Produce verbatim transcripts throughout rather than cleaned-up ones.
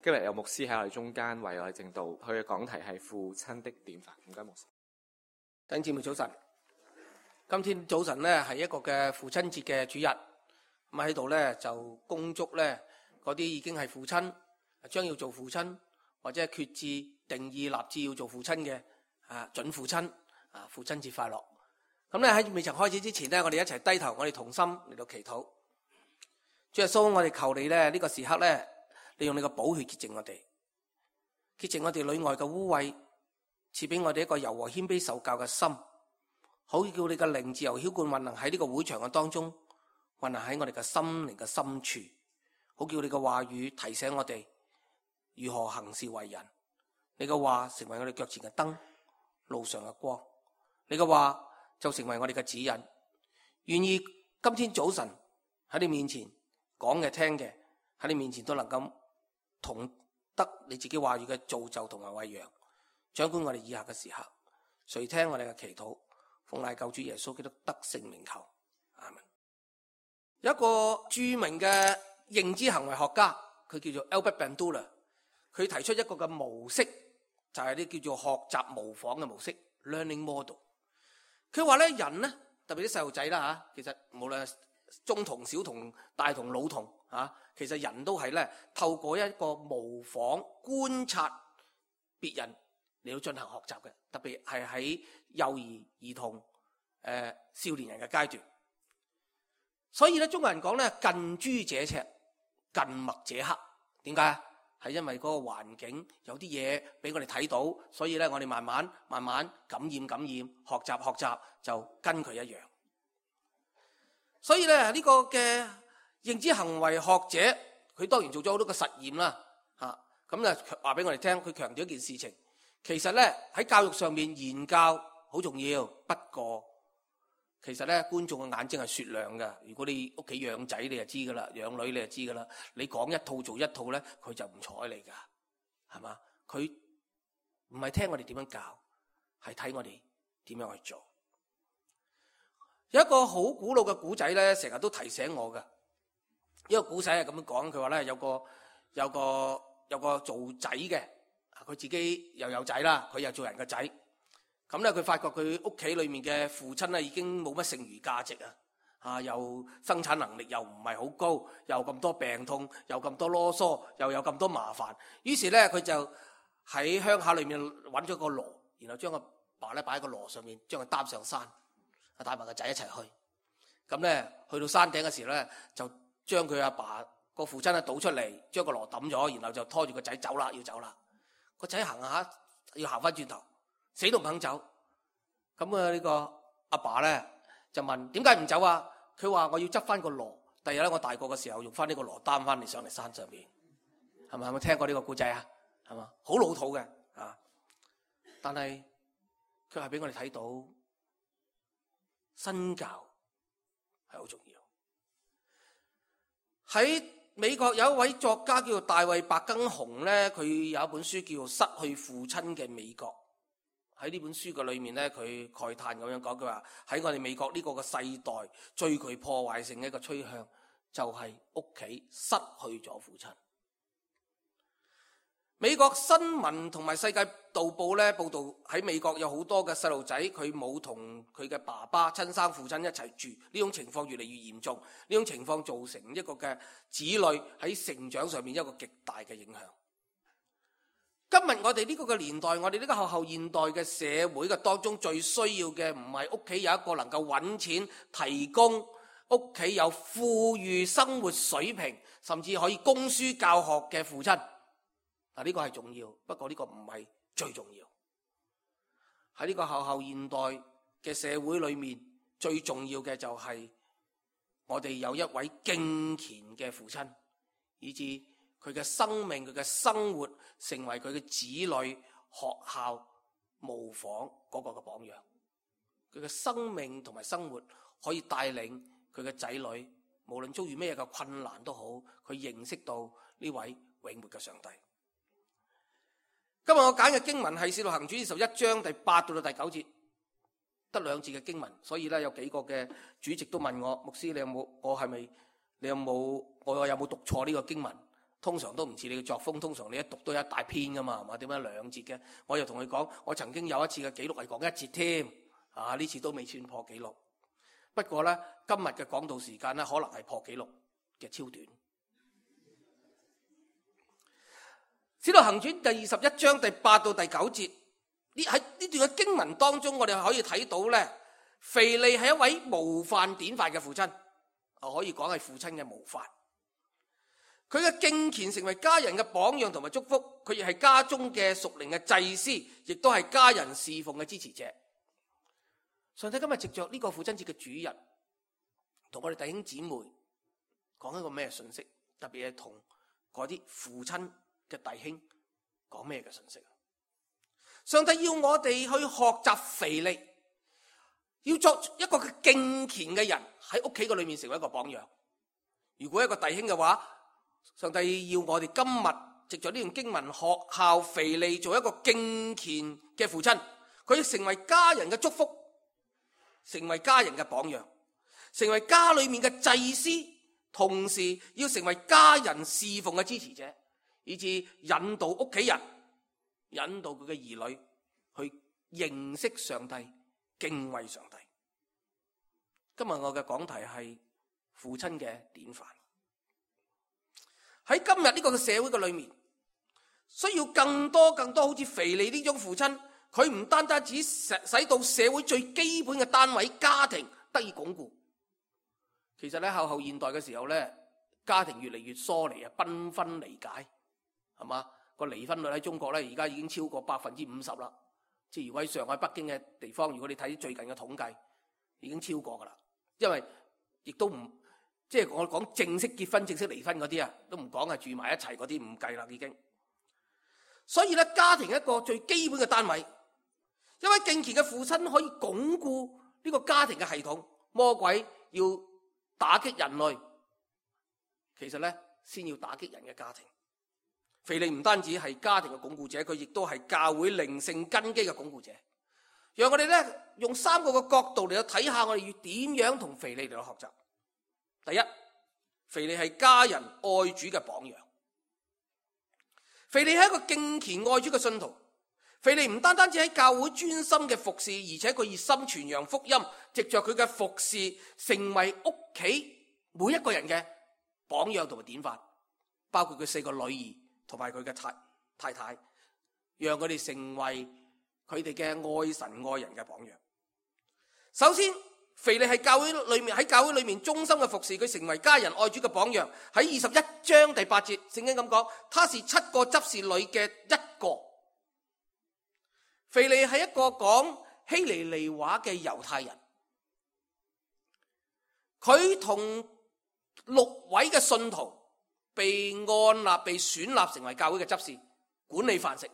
今日有牧師喺我哋中間為我哋證道，佢嘅講題係父親的典範。唔該，牧師。弟兄姊妹早晨，今天早晨咧係一個嘅父親節嘅主日，咁喺度咧就恭祝咧嗰啲已經係父親，將要做父親或者係決志定義立志要做父親嘅啊準父親啊父親節快樂。咁咧喺未曾開始之前咧，我哋一齊低頭，我哋同心嚟到祈禱。主耶穌，我哋求你咧呢個時刻咧，你用你個寶血潔淨我哋，潔淨我哋裏外嘅污穢，賜俾我哋一個柔和謙卑受教嘅心，好叫你嘅靈自由澆灌運行喺呢個會場嘅當中，運行喺我哋嘅心靈嘅深處，好叫你嘅話語提醒我哋如何行事為人。你嘅話成為我哋腳前嘅燈，路上嘅光。你嘅話就成為我哋嘅指引。願意今天早晨喺你面前講嘅聽嘅，喺你面前都能夠同得你自己話語嘅造就同埋餵養，掌管我哋以下嘅時刻。垂聽我哋嘅祈禱，奉賴救主耶穌基督得勝名求，阿門。有一個著名嘅認知行為學家，佢叫做 Albert Bandura， 佢提出一個嘅模式，就係啲叫做學習模仿嘅模式 （learning model）。佢話咧，人咧，特別啲細路仔啦吓，其實無論係中童、小童、大童、老童吓，其實人都係咧透過一個模仿、觀察別人嚟到進行學習嘅，特別係喺幼兒、兒童、誒、呃、少年人嘅階段。所以咧，中國人講咧，近朱者赤，近墨者黑。點解啊？係因為嗰個環境有啲嘢俾我哋睇到，所以咧我哋慢慢慢慢感染感染，學習學習就跟佢一樣。所以咧呢個嘅認知行為學者，佢當然做咗好多個實驗啦，嚇咁咧話俾我哋聽，佢強調一件事情，其實咧喺教育上面言教好重要，不過其實咧觀眾嘅眼睛係雪亮嘅。如果你屋企養仔，你就知噶啦；養女你就知噶啦。你講一套做一套咧，佢就唔睬你噶，係嘛？佢唔係聽我哋點樣教，係睇我哋點樣去做。有一個好古老嘅古仔咧，成日都提醒我嘅。呢個古仔係咁樣講，佢話咧有個有個有個做仔嘅，佢自己又有仔啦，佢又做人嘅仔。咁咧，佢發覺佢屋企裏面嘅父親咧已經冇乜剩餘價值啊！啊，又生產能力又唔係好高，又咁多病痛，又咁多囉嗦，又有咁多麻煩。於是咧，佢就喺鄉下裏面揾咗個籮，然後將個爸咧擺喺個籮上面，將佢擔上山，帶埋個仔一齊去。咁咧，去到山頂嘅時候咧，就將佢阿爸個父親咧倒出嚟，將個籮抌咗，然後就拖住個仔走啦，要走啦。個仔行下要行翻轉頭。死都唔肯走，咁啊呢個阿爸咧就問點解唔走啊？佢話我要執翻個籮，第日咧我大個嘅時候用翻呢個籮擔翻嚟上嚟山上邊，係咪？有冇聽過呢個故仔啊？係嘛，好老土嘅啊！但係佢係俾我哋睇到身教係好重要。喺美國有一位作家叫做大衛白根雄咧，佢有一本書叫做《失去父親嘅美國》。喺呢本書嘅裏面咧，佢慨嘆咁樣講，佢話喺我哋美國呢個嘅世代，最具破壞性嘅一個趨向，就係屋企失去咗父親。美國新聞同埋世界導報咧報道喺美國有好多嘅細路仔，佢冇同佢嘅爸爸親生父親一齊住，呢種情況越嚟越嚴重，呢種情況造成一個嘅子女喺成長上面一個極大嘅影響。今日我哋呢個嘅年代，我哋呢個後後現代嘅社會嘅當中，最需要嘅唔係屋企有一個能夠揾錢提供屋企有富裕生活水平，甚至可以供書教學嘅父親。嗱，呢個係重要，不過呢個唔係最重要。喺呢個後後現代嘅社會裏面，最重要嘅就係我哋有一位敬虔嘅父親，以致佢嘅生命、佢嘅生活成為佢嘅子女學校模仿嗰個嘅榜樣。佢嘅生命同埋生活可以帶領佢嘅仔女，無論遭遇咩嘅困難都好，佢認識到呢位永活嘅上帝。今日我揀嘅經文係《使徒行傳》二十一章第八到到第九節，得兩節嘅經文，所以咧有幾個嘅主席都問我，牧師你有冇？我係咪？你有冇？我有冇讀錯呢個經文？通常都唔似你嘅作風，通常你一讀都一大篇噶嘛，係嘛？點解兩節嘅？我又同佢講，我曾經有一次嘅記錄係講一節添，啊呢次都未算破紀錄。不過咧，今日嘅講道時間咧，可能係破紀錄嘅超短。使徒行傳第二十一章第八到第九節，呢喺呢段嘅經文當中，我哋可以睇到咧，腓利係一位模範典範嘅父親，可以講係父親嘅模範。佢嘅敬虔成為家人嘅榜樣同埋祝福，佢亦係家中嘅屬靈嘅祭司，亦都係家人侍奉嘅支持者。上帝今日藉着呢個父親節嘅主日，同我哋弟兄姊妹講一個咩信息？特別係同嗰啲父親嘅弟兄講咩嘅信息？上帝要我哋去學習腓利，要作一個敬虔嘅人，喺屋企嘅裏面成為一個榜樣。如果一個弟兄嘅話，上帝要我哋今日藉着呢段經文學效腓利，做一個敬虔嘅父親，佢要成為家人嘅祝福，成為家人嘅榜樣，成為家裏面嘅祭司，同時要成為家人侍奉嘅支持者，以致引導屋企人，引導佢嘅兒女去認識上帝，敬畏上帝。今日我嘅講題係父親嘅典範。喺今日呢個社會嘅裏面，需要更多更多好似腓利呢種父親，佢唔單單只使到社會最基本嘅單位家庭得以鞏固。其實咧，後後現代嘅時候咧，家庭越嚟越疏離啊，繽紛離解，係嘛？個離婚率喺中國咧，而家已經超過百分之五十啦。即係如果喺上海、北京嘅地方，如果你睇最近嘅統計，已經超過噶啦。因為亦都唔即係我講正式結婚、正式離婚嗰啲啊，都唔講係住埋一齊嗰啲，唔計啦已經。所以咧，家庭一個最基本嘅單位，一位敬虔嘅父親可以鞏固呢個家庭嘅系統。魔鬼要打擊人類，其實咧先要打擊人嘅家庭。腓利唔單止係家庭嘅鞏固者，佢亦都係教會靈性根基嘅鞏固者。讓我哋咧用三個嘅角度嚟到睇下，我哋要點樣同腓利嚟到學習。第一，腓利係家人愛主嘅榜樣。腓利係一個敬虔愛主嘅信徒。腓利唔單單只喺教會專心嘅服侍，而且佢熱心傳揚福音，藉着佢嘅服侍，成為屋企每一個人嘅榜樣同埋典範，包括佢四個女兒同埋佢嘅太太太，讓佢哋成為佢哋嘅愛神愛人嘅榜樣。首先，腓利係教會裏面喺教會裏面忠心嘅服侍，佢成為家人愛主嘅榜樣。喺二十一章第八節，聖經咁講，他是七個執事裏嘅一個。腓利係一個講希利尼話嘅猶太人，佢同六位嘅信徒被按立、被選立成為教會嘅執事，管理飯食。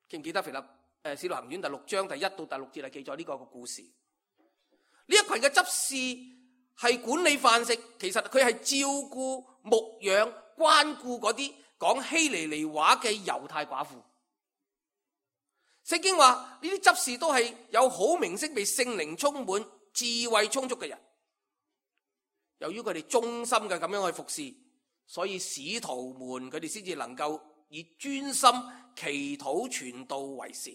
記唔記得腓立誒使徒行傳第六章第一到第六節係記載呢個嘅故事？呢一群嘅執事係管理飯食，其實佢係照顧、牧養、關顧嗰啲講希利尼話嘅猶太寡婦。聖經話呢啲執事都係有好名聲、被聖靈充滿、智慧充足嘅人。由於佢哋忠心嘅咁樣去服侍，所以使徒們佢哋先至能夠以專心祈禱傳道為事。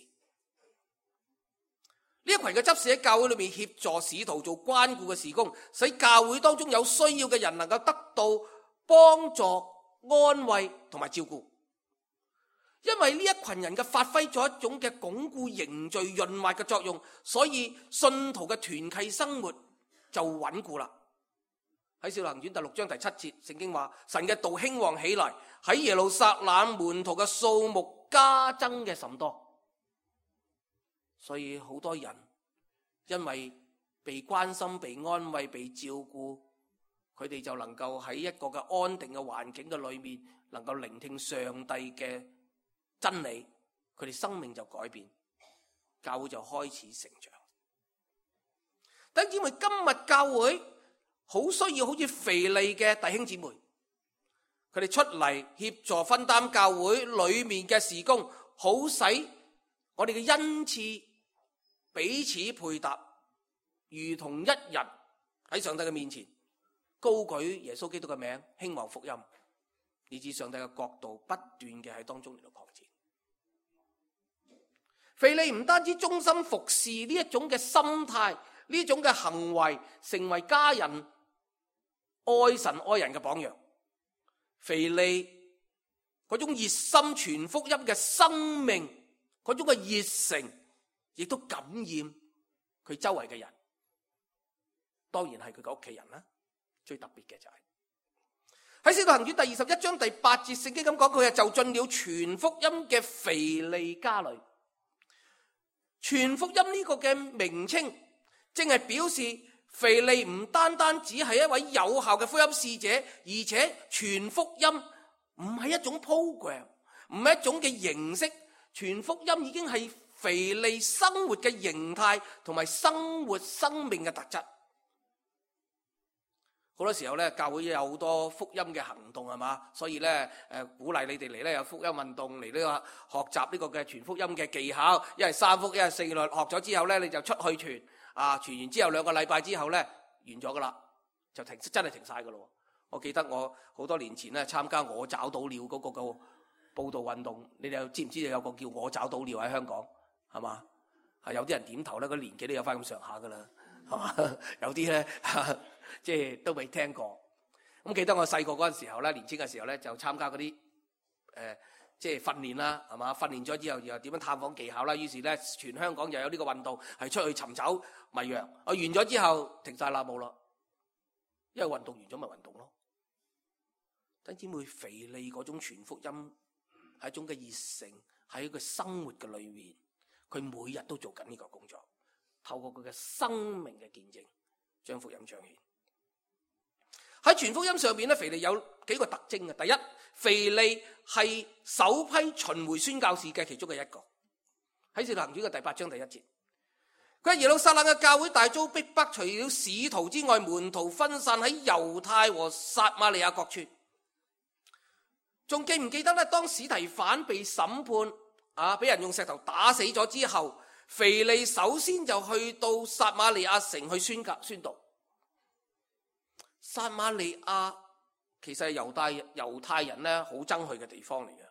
呢一群嘅執事喺教會裏面協助使徒做關顧嘅事工，使教會當中有需要嘅人能夠得到幫助、安慰同埋照顧。因為呢一群人嘅發揮咗一種嘅鞏固、凝聚、潤滑嘅作用，所以信徒嘅團契生活就穩固啦。喺《使徒行傳》第六章第七節，聖經話神嘅道興旺起來，喺耶路撒冷門徒嘅數目加增嘅甚多。所以好多人因為被關心、被安慰、被照顧，佢哋就能夠喺一個嘅安定嘅環境嘅裏面，能夠聆聽上帝嘅真理，佢哋生命就改變，教會就開始成長。弟兄姊妹，今日教會好需要好似腓利嘅弟兄姊妹，佢哋出嚟協助分擔教會裏面嘅事工，好使我哋嘅恩賜彼此配搭，如同一人喺上帝嘅面前高舉耶穌基督嘅名，興旺福音，以致上帝嘅國度不斷嘅喺當中嚟到擴展。腓利唔單止忠心服侍呢一種嘅心態，呢種嘅行為，成為家人愛神愛人嘅榜樣。腓利嗰種熱心傳福音嘅生命，嗰種嘅熱誠，亦都感染佢周圍嘅人。當然係佢嘅屋企人啦。最特別嘅就係喺《使徒行傳》第二十一章第八節，聖經咁講，佢係就進了傳福音嘅腓利家裏。傳福音呢個嘅名稱，正係表示腓利唔單單只係一位有效嘅福音使者，而且傳福音唔係一種 program， 唔係一種嘅形式，傳福音已經係腓利生活嘅形態同埋生活生命嘅特質。好多時候咧，教會有好多福音嘅行動係嘛，所以咧誒鼓勵你哋嚟咧有福音運動嚟呢個學習呢個嘅傳福音嘅技巧，一係三福一係四律，學咗之後咧你就出去傳啊，傳完之後兩個禮拜之後咧完咗噶啦，就停真係停晒噶咯。我記得我好多年前咧參加我找到了嗰個個報道運動，你哋知唔知道有個叫我找到了喺香港係嘛？係有啲人點頭咧，個年紀都有翻咁上下噶啦，係嘛？有啲咧。即係都未聽過，咁記得我細個嗰陣時候咧，年輕嘅時候咧就參加嗰啲誒即係訓練啦，係嘛？訓練咗之後又點樣探訪技巧啦，於是咧全香港又有呢個運動係出去尋找迷羊。我完咗之後停晒啦，冇啦，因為運動完咗咪運動咯。弟兄姊妹，腓利嗰種傳福音係一種嘅熱誠，喺佢生活嘅裏面，佢每日都做緊呢個工作，透過佢嘅生命嘅見證，將福音彰顯。喺傳福音上邊咧，腓利有幾個特徵嘅。第一，腓利係首批巡迴宣教士嘅其中嘅一個。喺《使徒行傳》嘅第八章第一節，佢喺耶路撒冷嘅教會大遭逼迫，除了使徒之外，門徒分散喺猶太和撒瑪利亞各處。仲記唔記得咧？當司提反被審判啊，俾人用石頭打死咗之後，腓利首先就去到撒瑪利亞城去宣教宣道。撒瑪利亞其實係猶太猶太人咧好憎去嘅地方嚟嘅。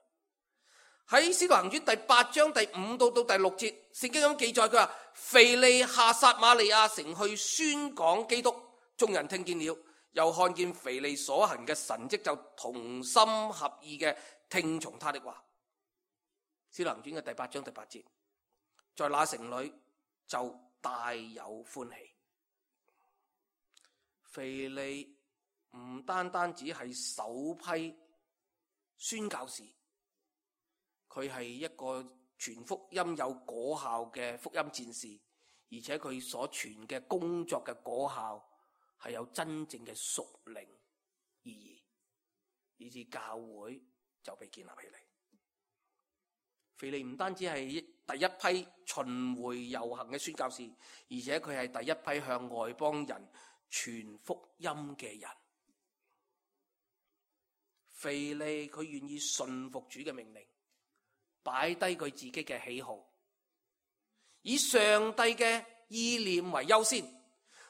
喺《使徒行傳》第八章第五到到第六節，聖經咁記載，佢話腓利下撒瑪利亞城去宣講基督，眾人聽見了，又看見腓利所行嘅神蹟，就同心合意嘅聽從他的話。《使徒行傳》嘅第八章第八節，在那城裏就大有歡喜。腓利唔單單只係首批宣教士，佢係一個傳福音有果效嘅福音戰士，而且佢所傳嘅工作嘅果效係有真正嘅屬靈意義，以致教會就被建立起嚟。腓利唔單止係第一批巡迴遊行嘅宣教士，而且佢係第一批向外邦人傳福音嘅人。腓利佢願意順服主嘅命令，擺低佢自己嘅喜好，以上帝嘅意念為優先，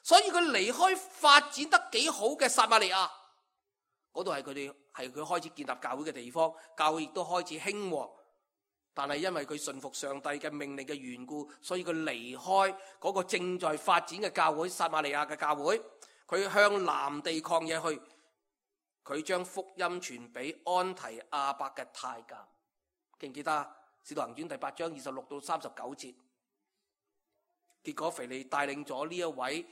所以佢離開發展得幾好嘅撒瑪利亞，嗰度係佢哋係佢開始建立教會嘅地方，教會亦都開始興旺。但係因為佢順服上帝嘅命令嘅緣故，所以佢離開嗰個正在發展嘅教會撒瑪利亞嘅教會，佢向南地曠野去，佢將福音傳俾安提亞伯嘅太監。記唔記得啊？《使徒行傳》第八章二十六到三十九節，結果腓利帶領咗呢一位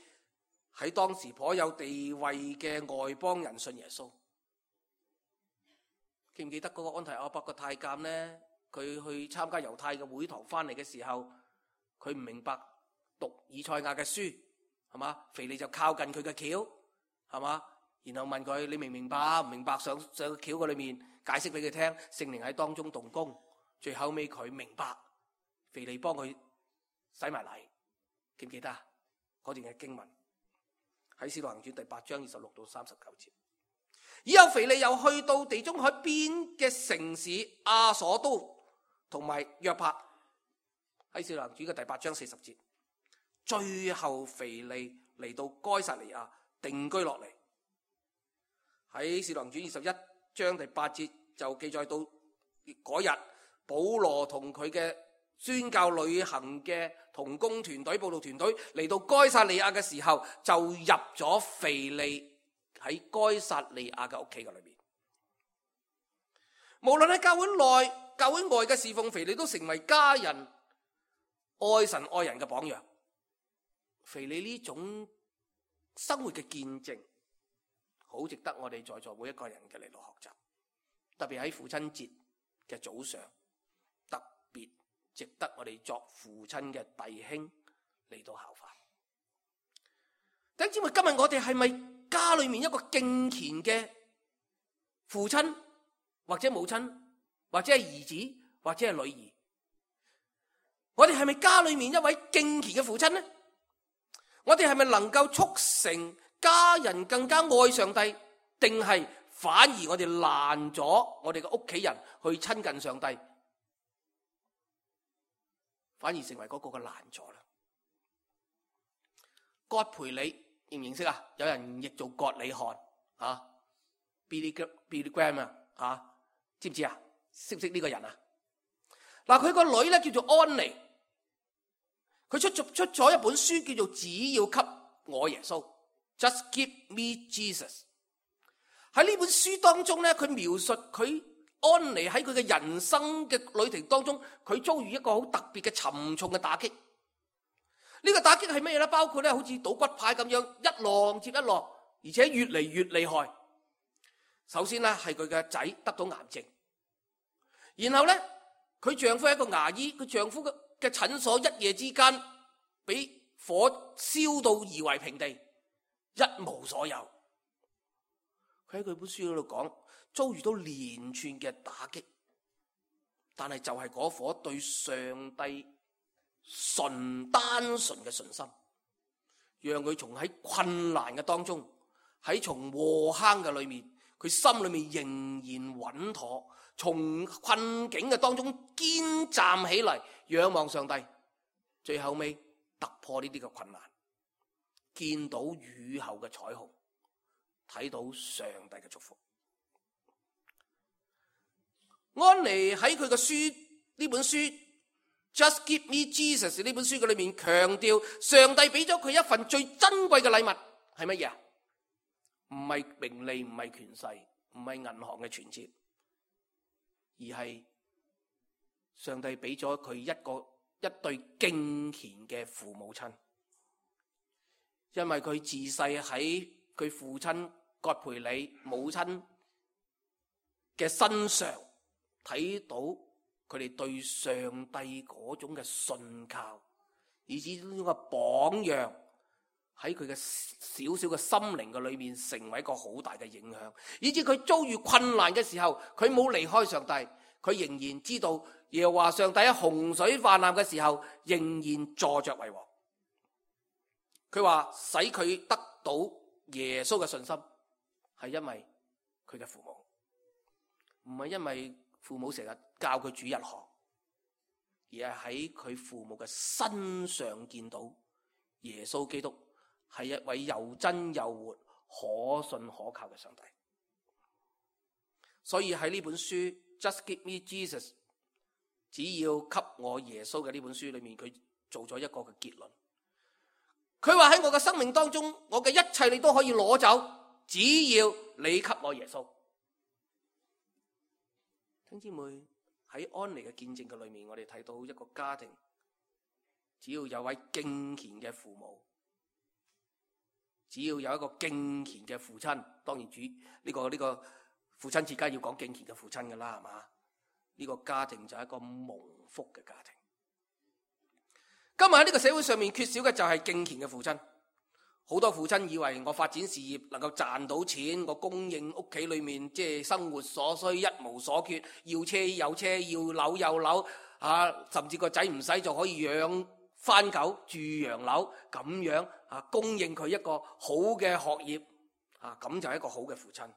喺當時頗有地位嘅外邦人信耶穌。記唔記得嗰個安提亞伯嘅太監呢？佢去參加猶太嘅會堂翻嚟嘅時候，佢唔明白讀以賽亞嘅書，係嘛？腓利就靠近佢嘅轎，係嘛？然後問佢：你明唔明白？唔明白，上上個轎嘅裏面解釋俾佢聽，聖靈喺當中動工。最後尾佢明白，腓利幫佢洗埋禮。記唔記得嗰段嘅經文喺《使徒行傳》第八章二十六到三十九節。以後腓利又去到地中海邊嘅城市亞索都同埋約帕，喺《使徒行傳》嘅第八章四十節。最後腓利嚟到該撒利亞定居落嚟。喺《使徒行傳》二十一章第八節就記載到嗰日保羅同佢嘅宣教旅行嘅同工團隊、佈道團隊嚟到該撒利亞嘅時候，就入咗腓利喺該撒利亞嘅屋企嘅裏面。無論喺教會內、教會外嘅侍奉，腓利都成為家人愛神愛人嘅榜樣。腓利呢種生活嘅見證，好值得我哋在座每一個人嘅嚟到學習。特別喺父親節嘅早上，特別值得我哋作父親嘅弟兄嚟到效法。弟兄姊妹，今日我哋係咪家裏面一個敬虔嘅父親，或者母親，或者係兒子，或者係女兒？我哋係咪家裏面一位敬虔嘅父親呢？我哋係咪能夠促成家人更加愛上帝，定係反而我哋攔咗我哋嘅屋企人去親近上帝，反而成為嗰個嘅攔阻啦？葛培理認唔認識啊？有人譯做葛理翰啊 ，Billy Billy Graham 啊，啊，知唔知啊？識唔識呢個人啊？嗱，佢個女咧叫做安妮，佢出咗出咗一本書叫做《只要給我耶穌》，Just Give Me Jesus。喺呢本書當中咧，佢描述佢安妮喺佢嘅人生嘅旅程當中，佢遭遇一個好特別嘅沉重嘅打擊。呢個打擊係咩咧？包括咧好似賭骨牌咁樣，一浪接一浪，而且越嚟越厲害。首先咧係佢嘅仔得到癌症，然後咧佢丈夫係一個牙醫，佢丈夫嘅嘅診所一夜之間俾火燒到夷為平地，一無所有。佢喺佢本書嗰度講，遭遇到連串嘅打擊，但係就係嗰顆對上帝純單純嘅信心，讓佢從喺困難嘅當中，喺從禍坑嘅裏面，佢心裏面仍然穩妥，從困境嘅當中堅站起嚟，仰望上帝，最後尾突破呢啲嘅困難，見到雨後嘅彩虹，睇到上帝嘅祝福。安妮喺佢嘅書呢本書 Just Give Me Jesus 呢本書嘅裏面強調，上帝俾咗佢一份最珍貴嘅禮物係乜嘢啊？唔係名利，唔係權勢，唔係銀行嘅存折，而係上帝俾咗佢一個一對敬虔嘅父母親。因為佢自細喺佢父親葛培理母親嘅身上睇到佢哋對上帝嗰種嘅信靠，以至呢種嘅榜樣喺佢嘅小小嘅心靈嘅裏面成為一個好大嘅影響，以至佢遭遇困難嘅時候，佢冇離開上帝，佢仍然知道耶和華上帝喺洪水泛濫嘅時候仍然坐着為王。佢話使佢得到耶穌嘅信心，係因為佢嘅父母，唔係因為父母成日教佢煮日學，而係喺佢父母嘅身上見到耶穌基督係一位又真又活、可信可靠嘅上帝。所以喺呢本書 Just Give Me Jesus， 只要給我耶穌嘅呢本書裏面，佢做咗一個嘅結論。佢話喺我嘅生命當中，我嘅一切你都可以攞走，只要你給我耶穌。弟兄姊妹，喺安妮嘅見證嘅裏面，我哋睇到一個家庭，只要有位敬虔嘅父母，只要有一個敬虔嘅父親，當然主呢、這個呢、這個父親節梗係要講敬虔嘅父親噶啦，係嘛？呢、這個家庭就係一個蒙福嘅家庭。今日喺呢個社會上面缺少嘅就係敬虔嘅父親。好多父親以為我發展事業能夠賺到錢，我供應屋企裏面即係生活所需一無所缺，要車有車，要樓有樓，啊，甚至個仔唔使就可以養番狗住洋樓，咁樣啊供應佢一個好嘅學業，啊咁就係一個好嘅父親。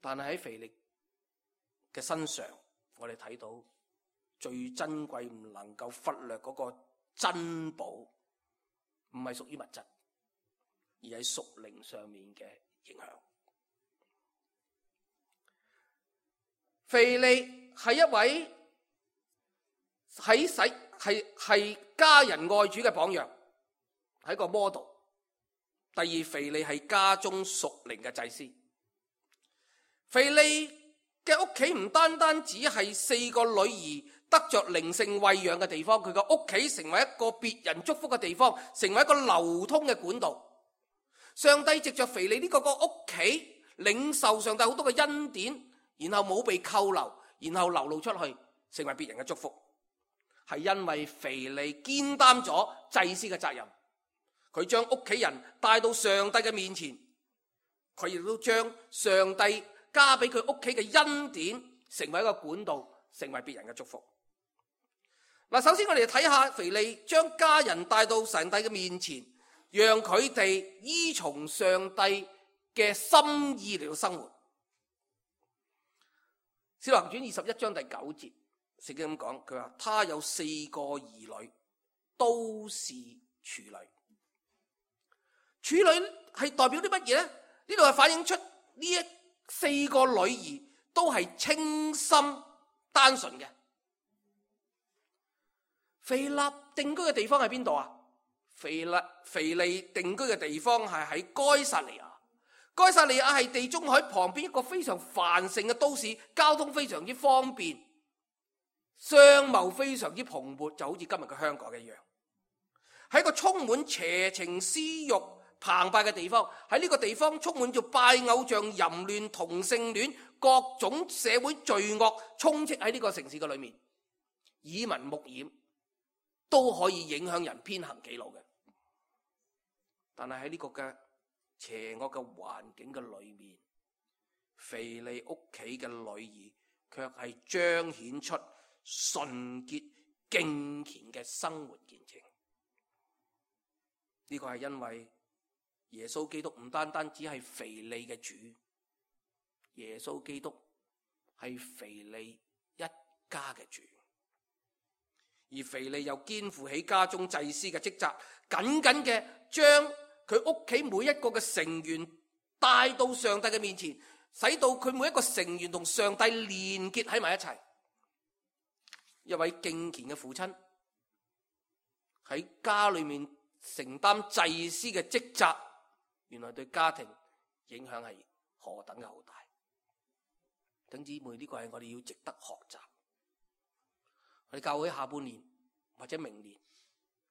但係喺腓力嘅身上，我哋睇到最珍貴唔能夠忽略嗰個珍寶，唔係屬於物質，而係屬靈上面嘅影響。腓利係一位喺使係係家人愛主嘅榜樣，係一個 model。第二，腓利係家中屬靈嘅祭司。腓利嘅屋企唔單單只係四個女兒得着靈性餵養嘅地方，佢嘅屋企成為一個別人祝福嘅地方，成為一個流通嘅管道。上帝藉着腓利呢個個屋企領受上帝好多嘅恩典，然後冇被扣留，然後流露出去，成為別人嘅祝福，係因為腓利肩擔咗祭司嘅責任。佢將屋企人帶到上帝嘅面前，佢亦都將上帝加俾佢屋企嘅恩典成為一個管道，成為別人嘅祝福。嗱，首先我哋睇下腓利將家人帶到上帝嘅面前，讓佢哋依從上帝嘅心意嚟到生活。使徒行傳二十一章第九節，聖經咁講，佢話他有四個兒女，都是處女。處女係代表啲乜嘢呢？呢度係反映出呢一四個女兒都係清心單純嘅。腓立定居嘅地方喺邊度啊？腓立腓利定居嘅地方係喺該撒利亞。該撒利亞係地中海旁邊一個非常繁盛嘅都市，交通非常之方便，商貿非常之蓬勃，就好似今日嘅香港一樣。係一個充滿邪情私欲澎湃嘅地方，喺呢個地方充滿咗拜偶像、淫亂、同性戀，各種社會罪惡充斥喺呢個城市嘅裏面，耳聞目染，都可以影響人偏行己路嘅。但係喺呢個嘅邪惡嘅環境嘅裏面，腓利屋企嘅女兒卻係彰顯出純潔敬虔嘅生活見證。呢個係因為耶穌基督唔單單只係腓利嘅主，耶穌基督係腓利一家嘅主，而腓利又肩負起家中祭司嘅職責，緊緊嘅將佢屋企每一個嘅成員帶到上帝嘅面前，使到佢每一個成員同上帝連結喺埋一齊。一位敬虔嘅父親喺家裏面承擔祭司嘅職責，原來對家庭影響係何等嘅好大。弟兄姊妹，呢個係我哋要值得學習。我哋教會下半年或者明年，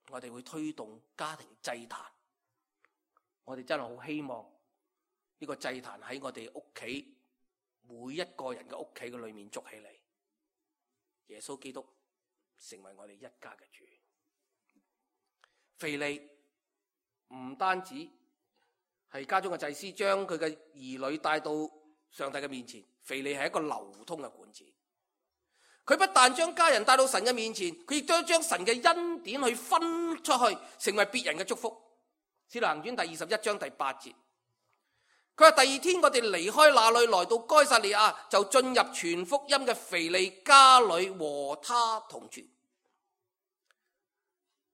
我哋會推動家庭祭壇。我哋真係好希望呢個祭壇喺我哋屋企每一個人嘅屋企嘅裏面築起嚟，耶穌基督成為我哋一家嘅主。腓利唔單止係家中嘅祭司，將佢嘅兒女帶到上帝嘅面前。腓利係一個流通嘅管子，佢不但將家人帶到神嘅面前，佢亦都將神嘅恩典去分出去，成為別人嘅祝福。使徒行傳第二十一章第八節，佢話第二天我哋離開那裏，來到該撒利亞，就進入傳福音嘅腓利家裏和他同住。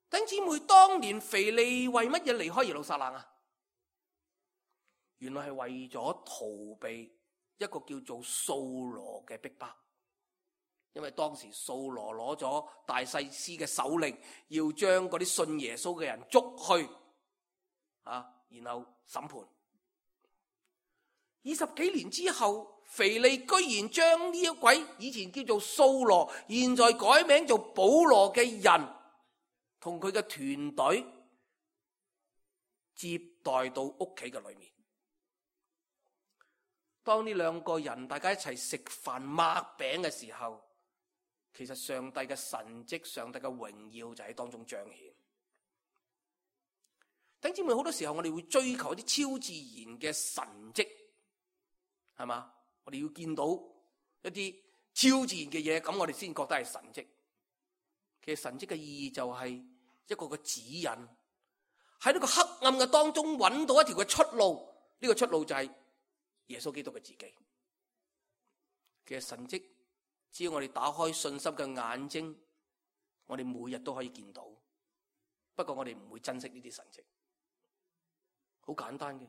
弟兄姊妹，當年腓利為乜嘢離開耶路撒冷啊？原來係為咗逃避一個叫做掃羅嘅逼迫，因為當時掃羅攞咗大祭司嘅手令，要將嗰啲信耶穌嘅人捉去啊，然後審判。二十幾年之後，腓利居然將呢一位以前叫做掃羅，現在改名做保羅嘅人，同佢嘅團隊接待到屋企嘅裏面。當呢兩個人大家一齊食飯擘餅嘅時候，其實上帝嘅神蹟、上帝嘅榮耀就喺當中彰顯。弟兄姊妹，好多時候我哋會追求一啲超自然嘅神蹟，係嘛？我哋要見到一啲超自然嘅嘢，咁我哋先覺得係神蹟。其實神蹟嘅意義就係一個嘅指引，喺呢個黑暗嘅當中揾到一條嘅出路。呢個出路就係耶穌基督嘅自己。其實神蹟只要我哋打開信心嘅眼睛，我哋每日都可以見到。不過我哋唔會珍惜呢啲神蹟。好簡單嘅，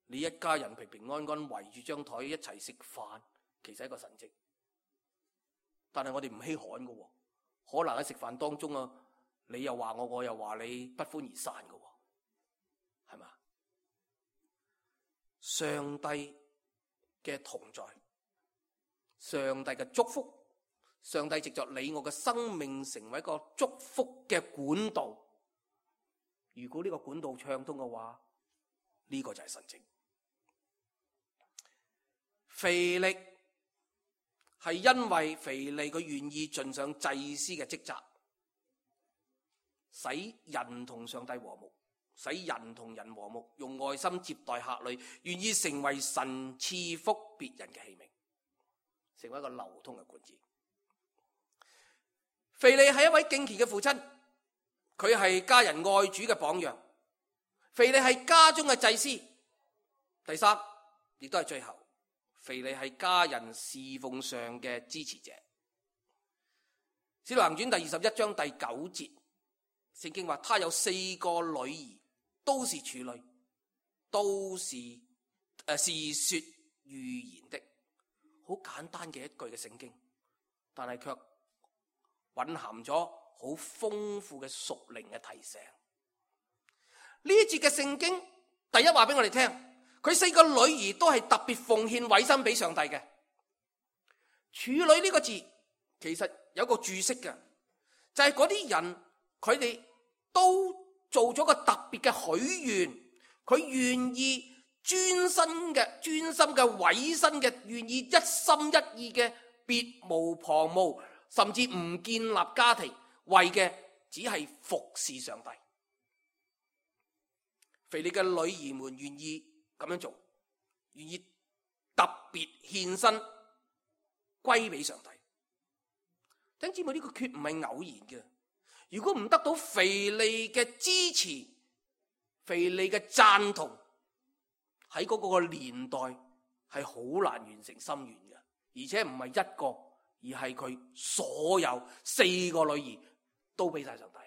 你一家人平平安安圍住張台一齊食飯，其實係一個神蹟。但係我哋唔稀罕㗎喎，可能喺食飯當中啊，你又話我，我又話你，不歡而散㗎喎，係嘛？上帝嘅同在，上帝嘅祝福，上帝藉着你我嘅生命成為一個祝福嘅管道。如果呢個管道暢通嘅話，呢個就係神蹟。腓力係因為腓利佢願意盡上祭司嘅職責，使人同上帝和睦，使人同人和睦，用愛心接待客旅，願意成為神賜福別人嘅器皿，成為一個流通嘅管子。腓利係一位敬虔嘅父親，佢係家人愛主嘅榜樣。腓利係家中嘅祭司。第三，亦都係最後，腓利係家人侍奉上嘅支持者。使徒行傳第二十一章第九節，聖經話他有四個女兒，都是處女，都是誒、呃、是說預言的。好簡單嘅一句嘅聖經，但係卻蘊含咗好豐富嘅屬靈嘅提醒。呢一節嘅聖經，第一話俾我哋聽，佢四個女兒都係特別奉獻委身俾上帝嘅。處女呢個字其實有個注釋嘅，就係嗰啲人佢哋都做咗個特別嘅許願，佢願意專心嘅、專心嘅委身嘅，願意一心一意嘅，別無旁騖，甚至唔建立家庭，為嘅只係服侍上帝。腓利嘅女兒們願意咁樣做，願意特別獻身歸俾上帝。弟兄姊妹，呢個決唔係偶然嘅。如果唔得到腓利嘅支持、腓利嘅贊同，喺嗰個年代係好難完成心願嘅，而且唔係一個，而係佢所有四個女兒都俾晒上帝。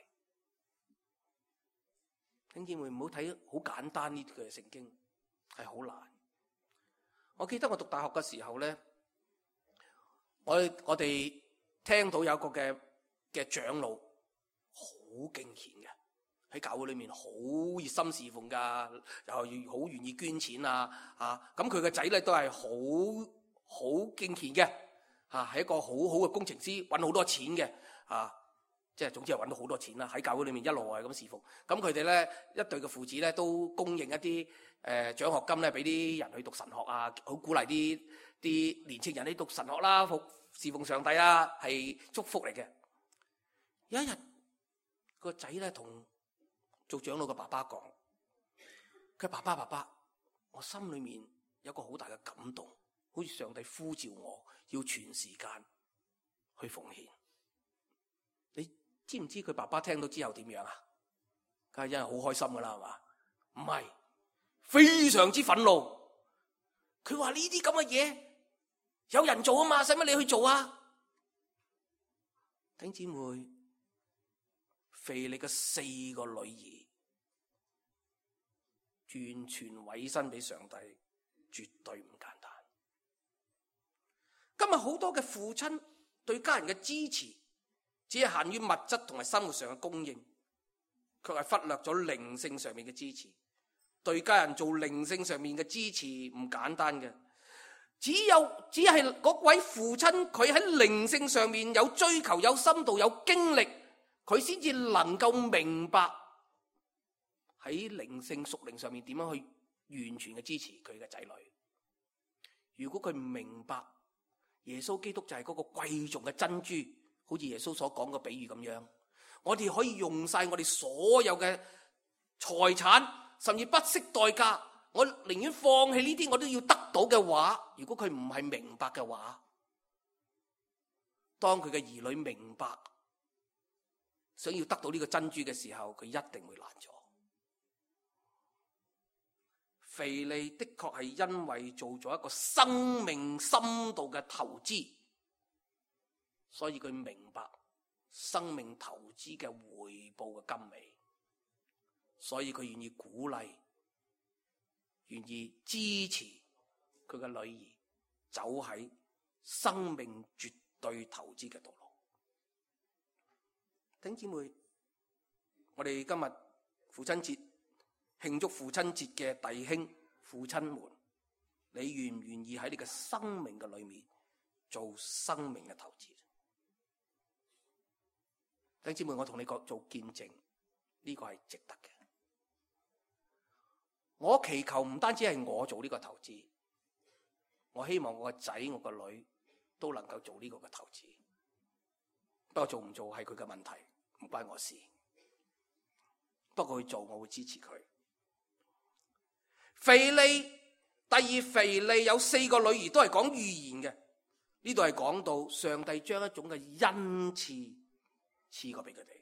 弟兄姊妹，唔好睇好簡單呢句聖經，係好難。我記得我讀大學嘅時候咧，我我哋聽到有一個嘅嘅長老好敬虔嘅，喺教會裏面好熱心侍奉噶，又好願意捐錢啊啊！咁佢個仔咧都係好好敬虔嘅，啊係一個好好嘅工程師，揾好多錢嘅啊！即係總之係揾到好多錢啦，喺教會裏面一路係咁侍奉。咁佢哋咧一對嘅父子咧都供應一啲誒獎學金咧俾啲人去讀神學啊，好鼓勵啲啲年青人去讀神學啦，服侍奉上帝啦，係祝福嚟嘅。有一日個仔咧同做長老嘅爸爸講，佢爸爸爸爸，我心裏面有個好大嘅感動，好似上帝呼召我要全時間去奉獻。你知唔知佢爸爸聽到之後點樣啊？梗係真係好開心噶啦，係嘛？唔係，非常之憤怒。佢話呢啲咁嘅嘢有人做啊嘛，使乜你去做啊？弟兄姊妹，腓利嘅四個女兒完全委身俾上帝，絕對唔簡單。今日好多嘅父親對家人嘅支持，只係限於物質同埋生活上嘅供應，卻係忽略咗靈性上面嘅支持。對家人做靈性上面嘅支持唔簡單嘅，只有只係嗰位父親佢喺靈性上面有追求、有深度、有經歷，佢先至能夠明白喺靈性屬靈上面點樣去完全嘅支持佢嘅仔女。如果佢唔明白耶穌基督就係嗰個貴重嘅珍珠，好似耶穌所講嘅比喻咁樣，我哋可以用晒我哋所有嘅財產，甚至不惜代價，我寧願放棄呢啲我都要得到嘅話，如果佢唔係明白嘅話，當佢嘅兒女明白想要得到呢個珍珠嘅時候，佢一定會難咗。腓利的確係因為做咗一個生命深度嘅投資，所以佢明白生命投資嘅回報嘅甘美，所以佢願意鼓勵，願意支持佢嘅女兒走喺生命絕對對投資嘅道路。弟兄姊妹，我哋今日父親節慶祝父親節嘅弟兄父親們，你願唔願意喺你嘅生命嘅裏面做生命嘅投資？弟兄姊妹，我同你講做見證，呢個係值得嘅。我祈求唔單止係我做呢個投資，我希望我個仔我個女都能夠做呢個嘅投資。不過做唔做係佢嘅問題，唔關我事。不過佢做，我會支持佢。腓利，第二腓利有四個女兒都係講預言嘅。呢度係講到上帝將一種嘅恩賜賜過俾佢哋，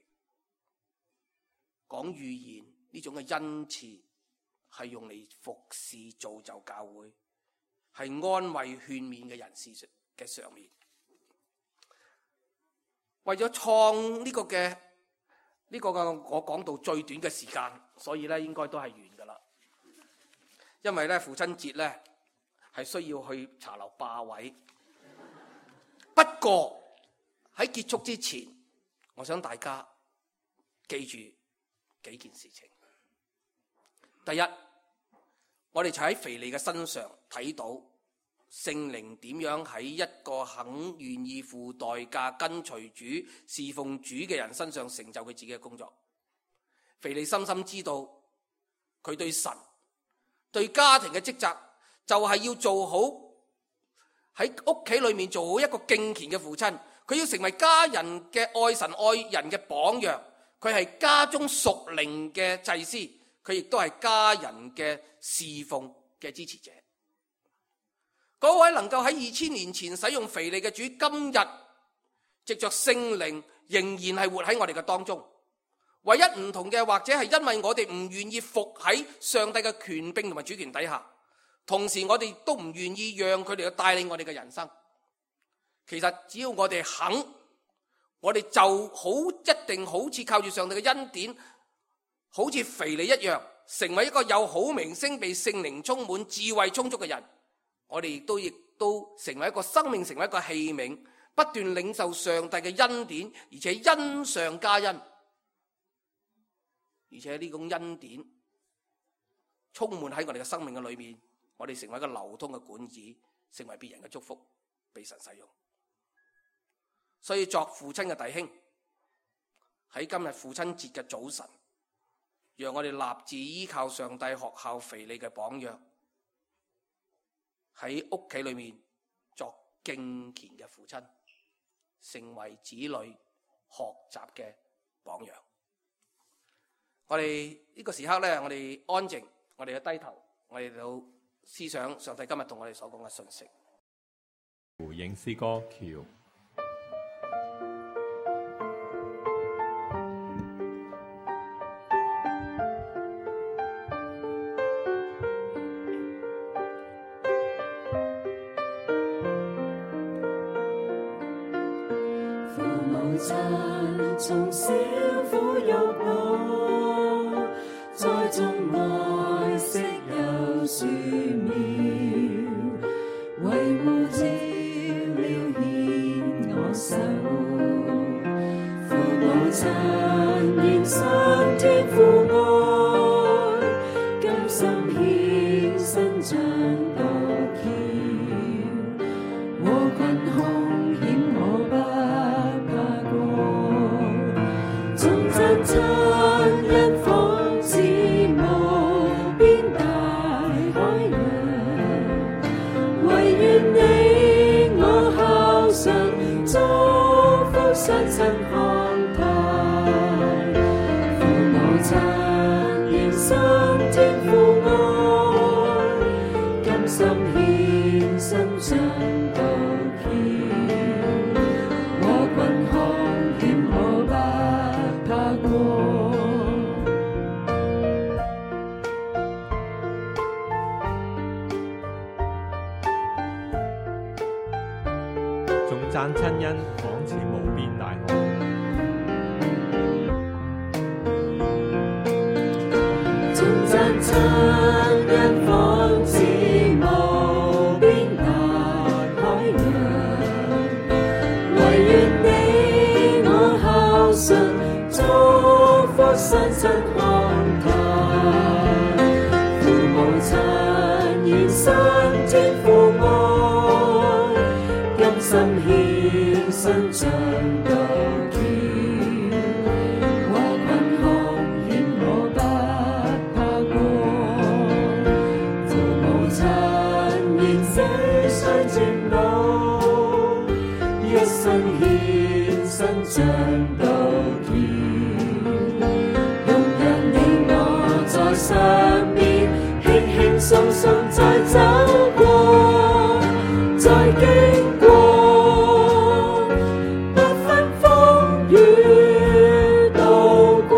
講預言呢種嘅恩賜係用嚟服侍造就教會，係安慰勸勉嘅人士嘅上面。為咗創呢個嘅呢、呢個嘅我講到最短嘅時間，所以咧應該都係完噶啦。因為咧父親節咧係需要去茶樓霸位。不過喺結束之前，我想大家記住幾件事情。第一，我哋就喺腓利嘅身上睇到聖靈點樣喺一個肯願意付代價跟隨主侍奉主嘅人身上成就佢自己嘅工作。腓利深深知道佢對神對家庭嘅職責就係要做好喺屋企裏面做好一個敬虔嘅父親，佢要成為家人嘅愛神愛人嘅榜樣，佢係家中屬靈嘅祭司，佢亦都係家人嘅侍奉嘅支持者。嗰位能夠喺二千年前使用腓利嘅主，今日藉着聖靈仍然係活喺我哋嘅當中。唯一唔同嘅，或者係因為我哋唔願意服喺上帝嘅權柄同埋主權底下，同時我哋都唔願意讓佢哋去帶領我哋嘅人生。其實只要我哋肯，我哋就好一定好似靠住上帝嘅恩典，好似腓利一樣，成為一個有好名聲、被聖靈充滿、智慧充足嘅人。我哋亦都亦都成為一個生命，成為一個器皿，不斷領受上帝嘅恩典，而且恩上加恩。而且呢種恩典充滿喺我哋嘅生命嘅裏面，我哋成為一個流通嘅管子，成為別人嘅祝福，被神使用。所以作父親嘅弟兄，喺今日父親節嘅早晨，讓我哋立志依靠上帝學校腓利嘅榜樣，喺屋企裏面作敬虔嘅父親，成為子女學習嘅榜樣。我哋呢個時刻咧，我哋安靜，我哋嘅低頭，我哋到思想上帝今日同我哋所講嘅信息。回應詩歌橋。父母親從小撫育我，栽種愛惜有樹苗，維護照料牽我手。父母親獻上天父愛，甘心獻身像獨橋，禍困凶險我不怕過，縱真親恩仿似無邊大海洋，唯願你我孝順，祝福雙親康泰。父母親獻身天父愛，甘心獻身像獨橋，禍困凶險我不怕過。頌讚親恩仿似無邊大海，頌讚親恩仿似無邊大海洋，信，祝福雙親康泰，父母親現身天父愛，甘心獻身像道橋，和貧窮險我不怕過，父母親現死雖漸老，一生獻身像道橋，容讓你我在上面輕輕鬆鬆再走過，再經過，不分風雨渡過。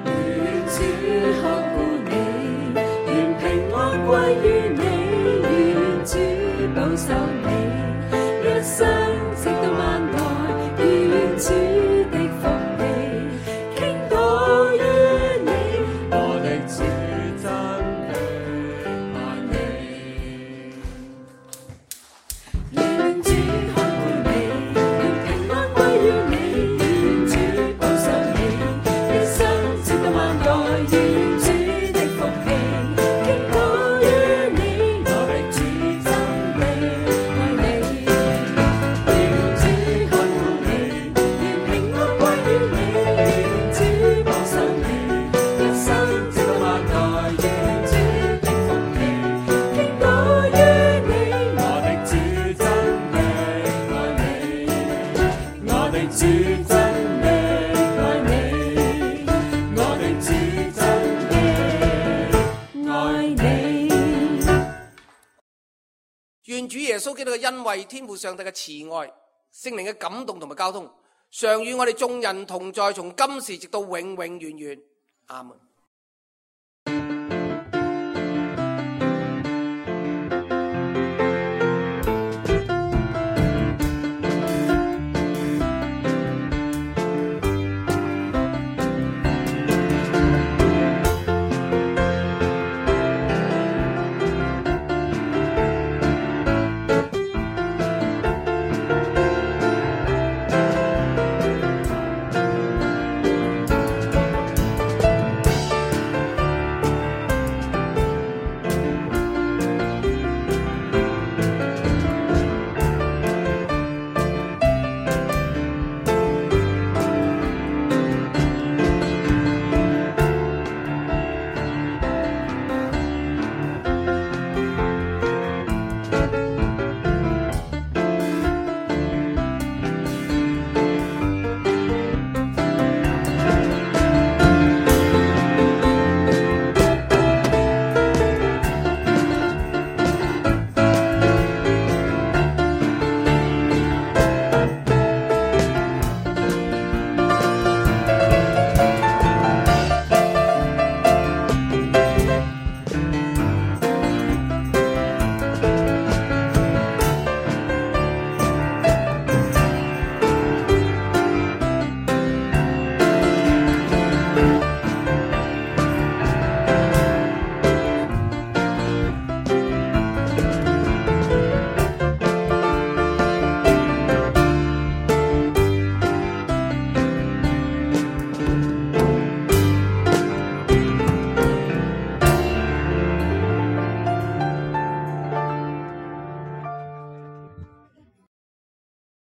願主看顧你，願平安歸於你，願主保守你，一生直到萬代，願主的福氣傾倒於你，我的主真的愛你。願主看顧你，願平安歸於你，願主保守你，一生直到萬代，願主的福氣傾倒於你，我的主真的愛你。願主看顧你，願平安歸於你，願主保守你，一生直到萬代，願主的福氣傾倒於你，我的主真的愛你，我的主真的愛你，我的主真的愛你。願主耶穌基督嘅恩惠、天父上帝嘅慈愛、聖靈嘅感動同埋交通，常與我哋眾人同在，從今時直到永永遠遠。阿門。